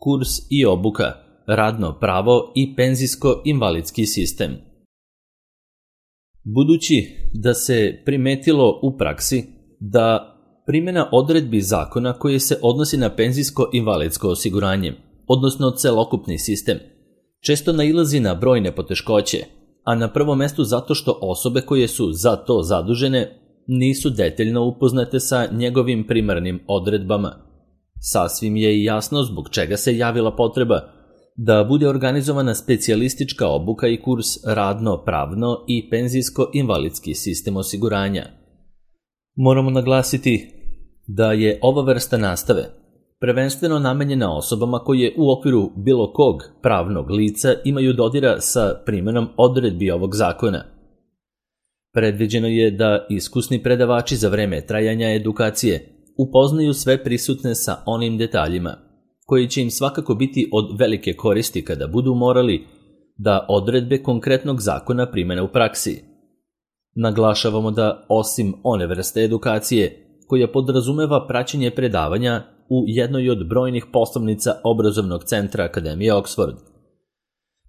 kurs i obuka, radno pravo i penzijsko-invalidski sistem. Budući da se primetilo u praksi da primjena odredbi zakona koje se odnosi na penzijsko-invalidsko osiguranje, odnosno celokupni sistem, često nailazi na brojne poteškoće, a na prvom mestu zato što osobe koje su za to zadužene nisu detaljno upoznate sa njegovim primarnim odredbama. Sasvim je i jasno zbog čega se javila potreba da bude organizovana specijalistička obuka i kurs radno-pravno i penzijsko-invalidski sistem osiguranja. Moramo naglasiti da je ova vrsta nastave prvenstveno namenjena osobama koje u okviru bilo kog pravnog lica imaju dodira sa primjenom odredbi ovog zakona. Predviđeno je da iskusni predavači za vreme trajanja edukacije upoznaju sve prisutne sa onim detaljima koji će im svakako biti od velike koristi kada budu morali da odredbe konkretnog zakona primene u praksi. Naglašavamo da osim one vrste edukacije koja podrazumeva praćenje predavanja u jednoj od brojnih poslovnica obrazovnog centra Akademije Oxford,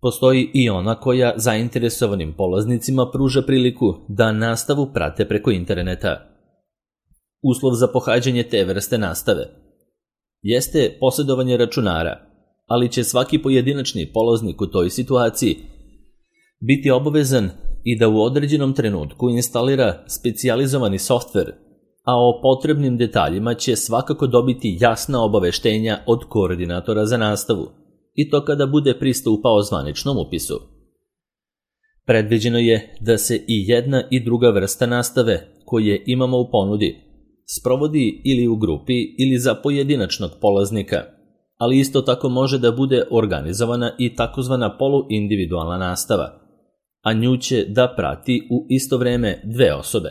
postoji i ona koja zainteresovanim polaznicima pruža priliku da nastavu prate preko interneta. Uslov za pohađanje te vrste nastave jeste posjedovanje računara, ali će svaki pojedinačni polaznik u toj situaciji biti obavezan i da u određenom trenutku instalira specijalizovani softver, a o potrebnim detaljima će svakako dobiti jasna obaveštenja od koordinatora za nastavu, i to kada bude pristupao zvaničnom upisu. Predviđeno je da se i jedna i druga vrsta nastave koje imamo u ponudi sprovodi ili u grupi ili za pojedinačnog polaznika, ali isto tako može da bude organizovana i takozvana poluindividualna nastava, a nju će da prati u isto vreme dve osobe.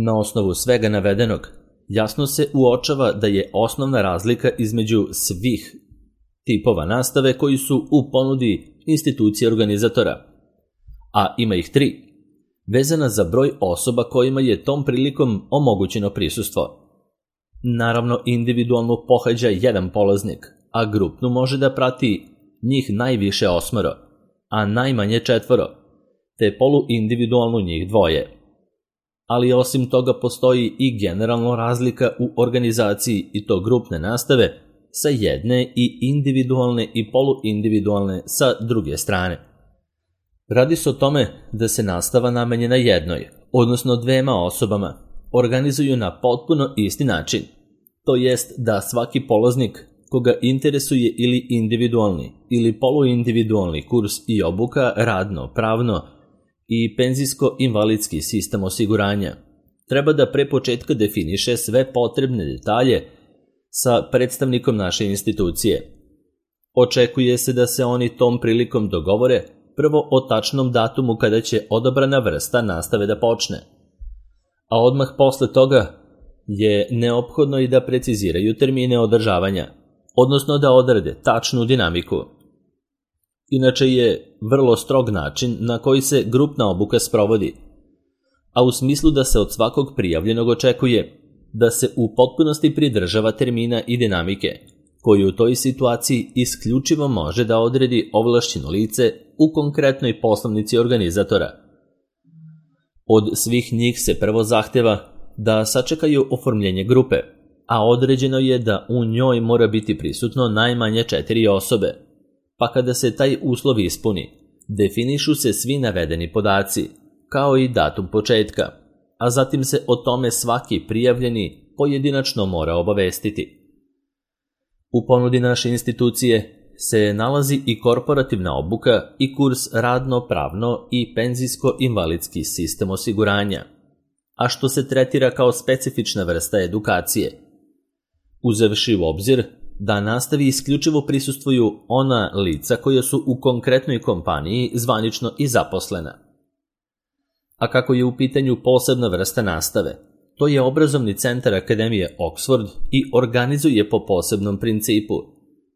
Na osnovu svega navedenog, jasno se uočava da je osnovna razlika između svih tipova nastave koji su u ponudi institucije organizatora, a ima ih 3, vezana za broj osoba kojima je tom prilikom omogućeno prisustvo. Naravno, individualnu pohađa jedan polaznik, a grupnu može da prati njih najviše 8, a najmanje 4, te poluindividualnu njih 2. Ali osim toga postoji i generalno razlika u organizaciji i to grupne nastave sa jedne i individualne i poluindividualne sa druge strane. Radi se o tome da se nastava namenjena jednoj, odnosno 2 osobama, organizuju na potpuno isti način. To jest da svaki polaznik koga interesuje ili individualni ili poluindividualni kurs i obuka radno, pravno i penzijsko-invalidski sistem osiguranja treba da pre početka definiše sve potrebne detalje sa predstavnikom naše institucije. Očekuje se da se oni tom prilikom dogovore prvo o tačnom datumu kada će odabrana vrsta nastave da počne, a odmah posle toga je neophodno i da preciziraju termine održavanja, odnosno da odrede tačnu dinamiku. Inače je vrlo strog način na koji se grupna obuka sprovodi, a u smislu da se od svakog prijavljenog očekuje da se u potpunosti pridržava termina i dinamike, koju u toj situaciji isključivo može da odredi ovlašćeno lice u konkretnoj poslovnici organizatora. Od svih njih se prvo zahteva da sačekaju oformljenje grupe, a određeno je da u njoj mora biti prisutno najmanje 4 osobe, pa kada se taj uslov ispuni, definišu se svi navedeni podaci, kao i datum početka, a zatim se o tome svaki prijavljeni pojedinačno mora obavestiti. U ponudi naše institucije se nalazi i korporativna obuka i kurs radno-pravno i penzijsko-invalidski sistem osiguranja, a što se tretira kao specifična vrsta edukacije, uzevši u obzir da nastavi isključivo prisustvuju ona lica koja su u konkretnoj kompaniji zvanično i zaposlena. A kako je u pitanju posebna vrsta nastave, to je obrazovni centar Akademije Oxford i organizuje po posebnom principu,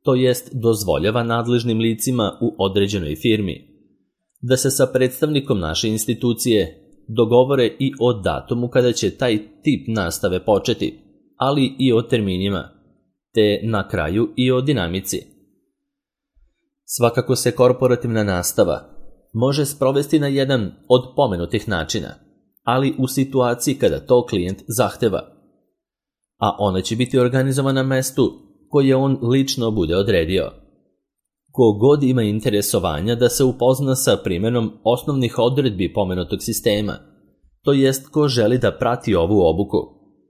to jest dozvoljava nadležnim licima u određenoj firmi da se sa predstavnikom naše institucije dogovore i o datumu kada će taj tip nastave početi, ali i o terminima, te na kraju i o dinamici. Svakako se korporativna nastava može sprovesti na jedan od pomenutih načina, ali u situaciji kada to klijent zahteva, a ona će biti organizovana na mestu koje on lično bude odredio. Ko god ima interesovanja da se upozna sa primjenom osnovnih odredbi pomenutog sistema, to jest ko želi da prati ovu obuku,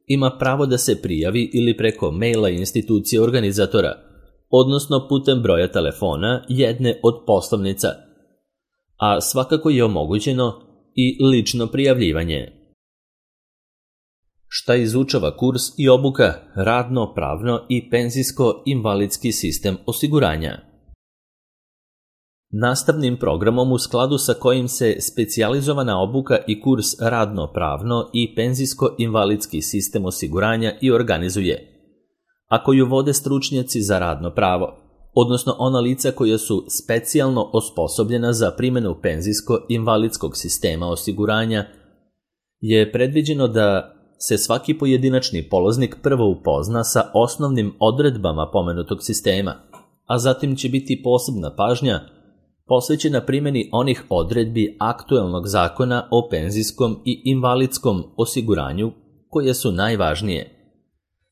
ima pravo da se prijavi ili preko maila institucije organizatora, odnosno putem broja telefona jedne od poslovnica, a svakako je omogućeno i lično prijavljivanje. Šta izučava kurs i obuka radno, pravno i penzijsko-invalidski sistem osiguranja? Nastavnim programom u skladu sa kojim se specijalizovana obuka i kurs radno-pravno i penzijsko-invalidski sistem osiguranja i organizuje, a koju vode stručnjaci za radno pravo, odnosno ona lica koja su specijalno osposobljena za primjenu penzijsko-invalidskog sistema osiguranja, je predviđeno da se svaki pojedinačni polaznik prvo upozna sa osnovnim odredbama pomenutog sistema, a zatim će biti posebna pažnja posvećena primjeni onih odredbi aktuelnog zakona o penzijskom i invalidskom osiguranju koje su najvažnije.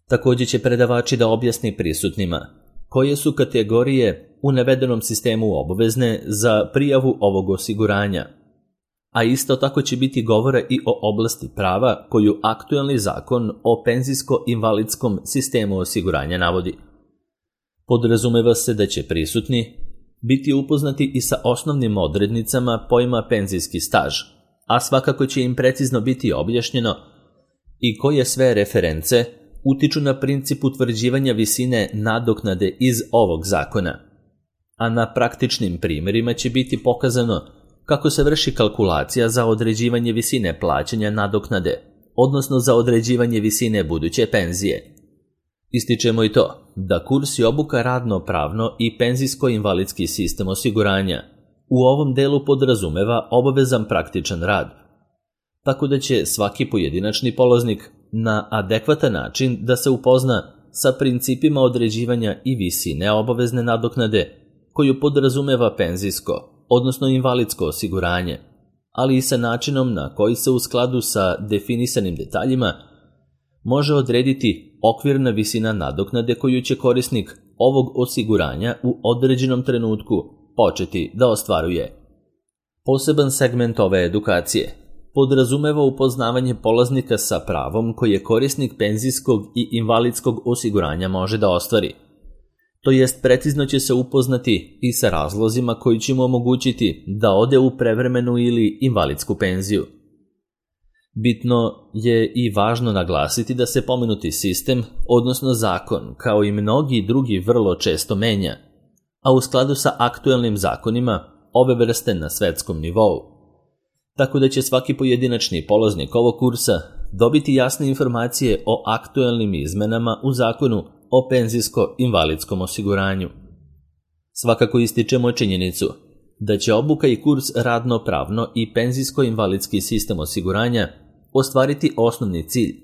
Također će predavači da objasni prisutnima koje su kategorije u navedenom sistemu obavezne za prijavu ovog osiguranja, a isto tako će biti govora i o oblasti prava koju aktuelni zakon o penzijsko-invalidskom sistemu osiguranja navodi. Podrazumeva se da će prisutni biti upoznati i sa osnovnim odrednicama pojma penzijski staž, a svakako će im precizno biti objašnjeno i koje sve reference utiču na princip utvrđivanja visine nadoknade iz ovog zakona. A na praktičnim primjerima će biti pokazano kako se vrši kalkulacija za određivanje visine plaćanja nadoknade, odnosno za određivanje visine buduće penzije. Ističemo i to da kurs i obuka radno-pravno i penzijsko-invalidski sistem osiguranja u ovom delu podrazumeva obavezan praktičan rad, tako da će svaki pojedinačni polaznik na adekvatan način da se upozna sa principima određivanja i visine obavezne nadoknade koju podrazumeva penzijsko, odnosno invalidsko osiguranje, ali i sa načinom na koji se u skladu sa definisanim detaljima može odrediti okvirna visina nadoknade koju će korisnik ovog osiguranja u određenom trenutku početi da ostvaruje. Poseban segment ove edukacije podrazumeva upoznavanje polaznika sa pravom koje korisnik penzijskog i invalidskog osiguranja može da ostvari. To jest precizno će se upoznati i sa razlozima koji će mu omogućiti da ode u prevremenu ili invalidsku penziju. Bitno je i važno naglasiti da se pomenuti sistem, odnosno zakon, kao i mnogi drugi vrlo često menja, a u skladu sa aktuelnim zakonima ove vrste na svetskom nivou. Tako da će svaki pojedinačni polaznik ovog kursa dobiti jasne informacije o aktuelnim izmenama u zakonu o penzijsko-invalidskom osiguranju. Svakako ističemo činjenicu da će obuka i kurs radno-pravno i penzijsko-invalidski sistem osiguranja ostvariti osnovni cilj,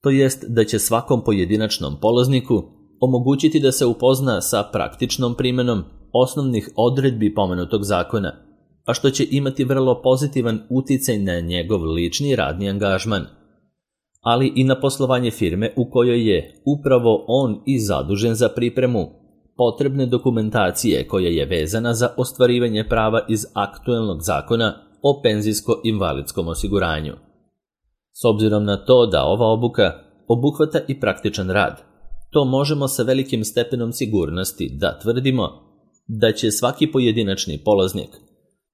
to jest da će svakom pojedinačnom polazniku omogućiti da se upozna sa praktičnom primjenom osnovnih odredbi pomenutog zakona, a što će imati vrlo pozitivan uticaj na njegov lični radni angažman, ali i na poslovanje firme u kojoj je upravo on i zadužen za pripremu potrebne dokumentacije koja je vezana za ostvarivanje prava iz aktuelnog zakona o penzijsko-invalidskom osiguranju. S obzirom na to da ova obuka obuhvata i praktičan rad, to možemo sa velikim stepenom sigurnosti da tvrdimo da će svaki pojedinačni polaznik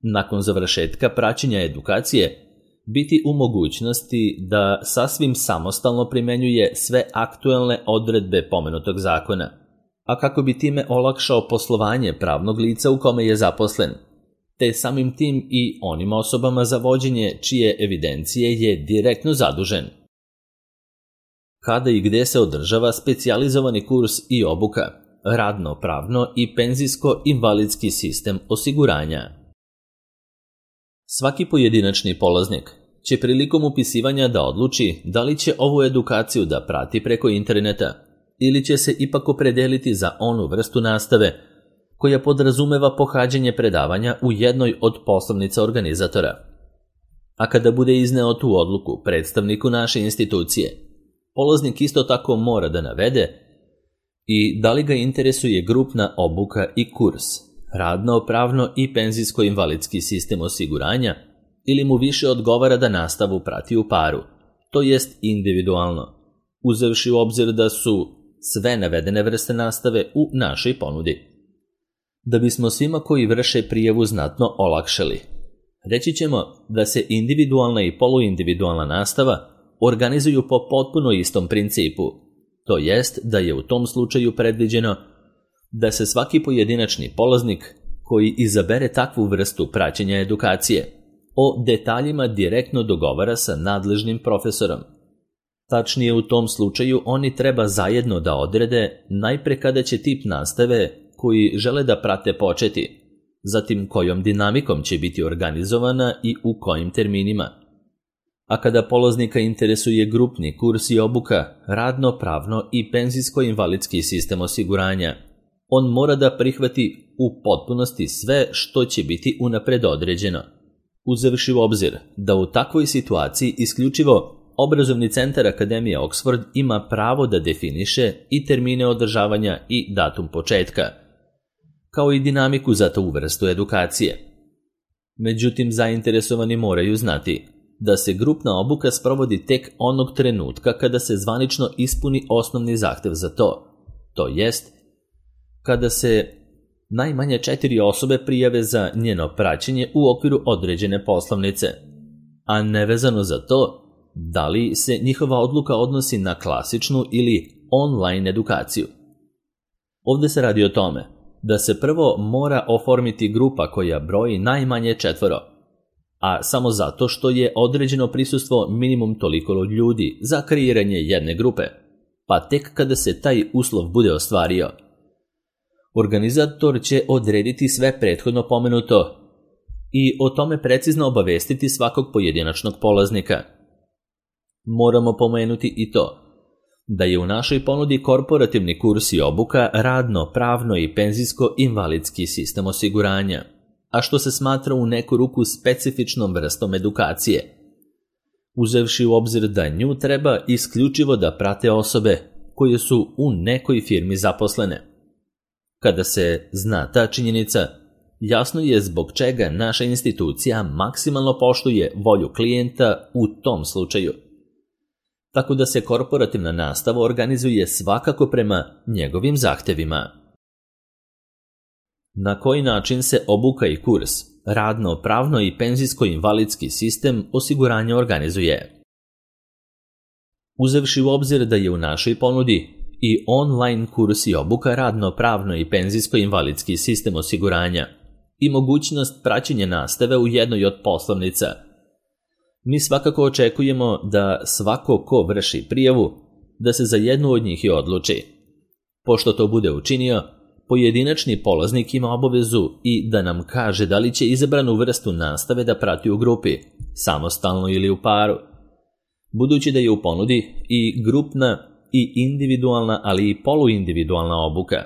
nakon završetka praćenja edukacije biti u mogućnosti da sasvim samostalno primenjuje sve aktuelne odredbe pomenutog zakona, a kako bi time olakšao poslovanje pravnog lica u kome je zaposlen, te samim tim i onim osobama za vođenje čije evidencije je direktno zadužen. Kada i gde se održava specijalizovani kurs i obuka, radno-pravno i penzijsko-invalidski sistem osiguranja? Svaki pojedinačni polaznik će prilikom upisivanja da odluči da li će ovu edukaciju da prati preko interneta ili će se ipak opredeliti za onu vrstu nastave koja podrazumeva pohađanje predavanja u jednoj od poslovnica organizatora. A kada bude izneo tu odluku predstavniku naše institucije, polaznik isto tako mora da navede i da li ga interesuje grupna obuka i kurs, radno, pravno i penzijsko-invalidski sistem osiguranja, ili mu više odgovara da nastavu prati u paru, to jest individualno, uzevši u obzir da su sve navedene vrste nastave u našoj ponudi. Da bismo svima koji vrše prijavu znatno olakšali, reći ćemo da se individualna i poluindividualna nastava organizuju po potpuno istom principu, to jest da je u tom slučaju predviđeno da se svaki pojedinačni polaznik koji izabere takvu vrstu praćenja edukacije o detaljima direktno dogovara sa nadležnim profesorom. Tačnije, u tom slučaju oni treba zajedno da odrede najpre kada će tip nastave koji žele da prate početi, zatim kojom dinamikom će biti organizovana i u kojim terminima. A kada polaznika interesuje grupni kurs i obuka, radno, pravno i penzijsko-invalidski sistem osiguranja, on mora da prihvati u potpunosti sve što će biti unapred određeno, uzevši u obzir da u takvoj situaciji isključivo Obrazovni centar Akademije Oxford ima pravo da definiše i termine održavanja i datum početka, kao i dinamiku za tu vrstu edukacije. Međutim, zainteresovani moraju znati da se grupna obuka sprovodi tek onog trenutka kada se zvanično ispuni osnovni zahtev za to jest kada se najmanje 4 osobe prijave za njeno praćenje u okviru određene poslovnice, a nevezano za to da li se njihova odluka odnosi na klasičnu ili online edukaciju. Ovde se radi o tome da se prvo mora oformiti grupa koja broji najmanje 4, a samo zato što je određeno prisustvo minimum toliko ljudi za kreiranje jedne grupe, pa tek kada se taj uslov bude ostvario, organizator će odrediti sve prethodno pomenuto i o tome precizno obavestiti svakog pojedinačnog polaznika. Moramo pomenuti i to da je u našoj ponudi korporativni kurs i obuka radno, pravno i penzijsko-invalidski sistem osiguranja, a što se smatra u neku ruku specifičnom vrstom edukacije, uzevši u obzir da nju treba isključivo da prate osobe koje su u nekoj firmi zaposlene. Kada se zna ta činjenica, jasno je zbog čega naša institucija maksimalno poštuje volju klijenta u tom slučaju. Tako da se korporativna nastava organizuje svakako prema njegovim zahtevima. Na koji način se obuka i kurs, radno, pravno i penzijsko-invalidski sistem osiguranja organizuje? Uzevši u obzir da je u našoj ponudi i online kurs i obuka radno, pravno i penzijsko-invalidski sistem osiguranja i mogućnost praćenja nastave u jednoj od poslovnica, mi svakako očekujemo da svako ko vrši prijavu, da se za jednu od njih i odluči. Pošto to bude učinio, pojedinačni polaznik ima obavezu i da nam kaže da li će izabranu vrstu nastave da prati u grupi, samostalno ili u paru. Budući da je u ponudi i grupna i individualna, ali i poluindividualna obuka.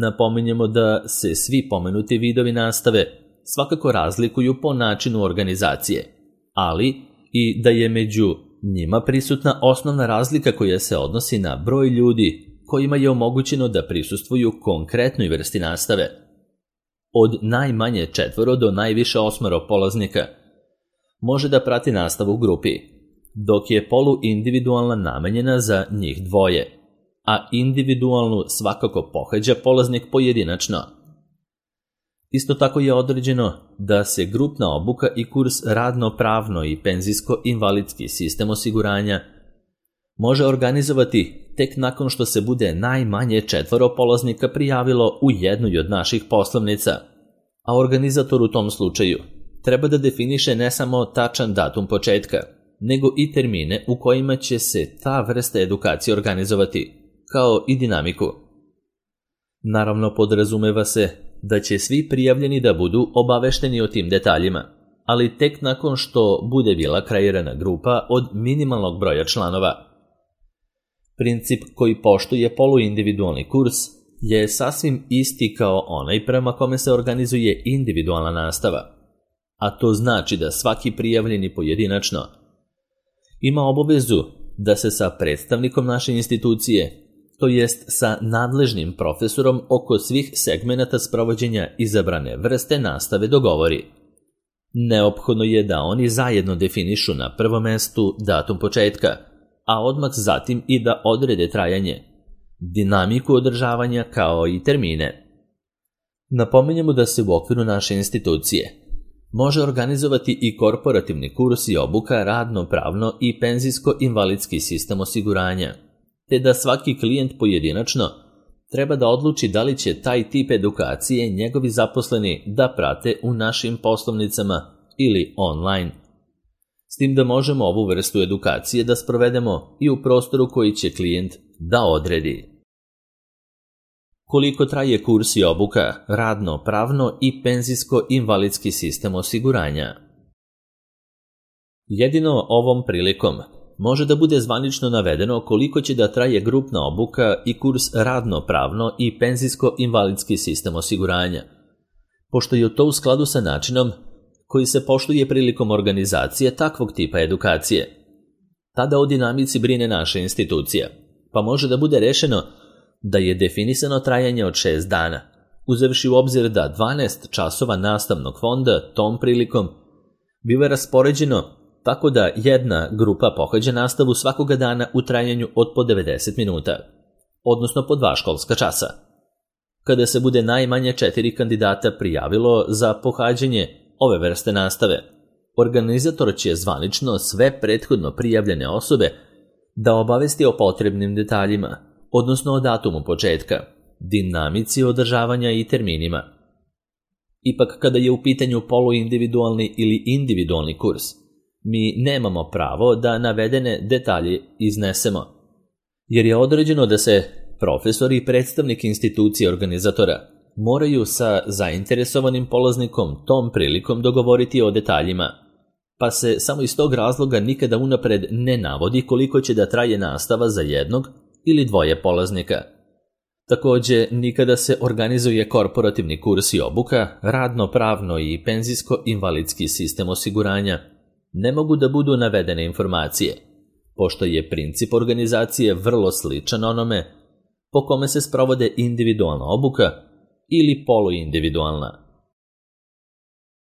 Napominjemo da se svi pomenuti vidovi nastave svakako razlikuju po načinu organizacije, ali i da je među njima prisutna osnovna razlika koja se odnosi na broj ljudi kojima je omogućeno da prisustvuju konkretnoj vrsti nastave. Od najmanje 4 do najviše 8 polaznika može da prati nastavu u grupi, dok je poluindividualna namenjena za njih 2, a individualnu svakako pohađa polaznik pojedinačno. Isto tako je određeno da se grupna obuka i kurs radno-pravno i penzijsko-invalidski sistem osiguranja može organizovati tek nakon što se bude najmanje 4 polaznika prijavilo u jednoj od naših poslovnica, a organizator u tom slučaju treba da definiše ne samo tačan datum početka, nego i termine u kojima će se ta vrsta edukacije organizovati, kao i dinamiku. Naravno, podrazumeva se da će svi prijavljeni da budu obavešteni o tim detaljima, ali tek nakon što bude bila kreirana grupa od minimalnog broja članova. Princip koji poštuje poluindividualni kurs je sasvim isti kao onaj prema kome se organizuje individualna nastava, a to znači da svaki prijavljeni pojedinačno ima obavezu da se sa predstavnikom naše institucije, to jest sa nadležnim profesorom oko svih segmenata sprovođenja izabrane vrste nastave dogovori. Neophodno je da oni zajedno definišu na prvom mestu datum početka, a odmah zatim i da odrede trajanje, dinamiku održavanja kao i termine. Napominjemo da se u okviru naše institucije može organizovati i korporativni kurs i obuka radno-pravno i penzijsko-invalidski sistem osiguranja, te da svaki klijent pojedinačno treba da odluči da li će taj tip edukacije njegovi zaposleni da prate u našim poslovnicama ili online. S tim da možemo ovu vrstu edukacije da sprovedemo i u prostoru koji će klijent da odredi. Koliko traje kurs i obuka radno-pravno i penzijsko-invalidski sistem osiguranja? Jedino ovom prilikom može da bude zvanično navedeno koliko će da traje grupna obuka i kurs radno-pravno i penzijsko-invalidski sistem osiguranja, pošto je to u skladu sa načinom koji se poštuje prilikom organizacije takvog tipa edukacije. Tada o dinamici brine naša institucija, pa može da bude rešeno da je definisano trajanje od 6 dana, uzevši u obzir da 12 časova nastavnog fonda tom prilikom biva raspoređeno tako da jedna grupa pohađa nastavu svakoga dana u trajanju od po 90 minuta, odnosno po 2 školska časa. Kada se bude najmanje 4 kandidata prijavilo za pohađanje ove vrste nastave, organizator će zvanično sve prethodno prijavljene osobe da obavesti o potrebnim detaljima, odnosno o datumu početka, dinamici održavanja i terminima. Ipak kada je u pitanju poluindividualni ili individualni kurs, mi nemamo pravo da navedene detalje iznesemo, jer je određeno da se profesor i predstavnik institucije organizatora moraju sa zainteresovanim polaznikom tom prilikom dogovoriti o detaljima, pa se samo iz tog razloga nikada unapred ne navodi koliko će da traje nastava za jednog ili dvoje polaznika. Takođe, nikada se organizuje korporativni kurs i obuka, radno-pravno i penzijsko-invalidski sistem osiguranja, ne mogu da budu navedene informacije, pošto je princip organizacije vrlo sličan onome po kome se sprovode individualna obuka ili poluindividualna.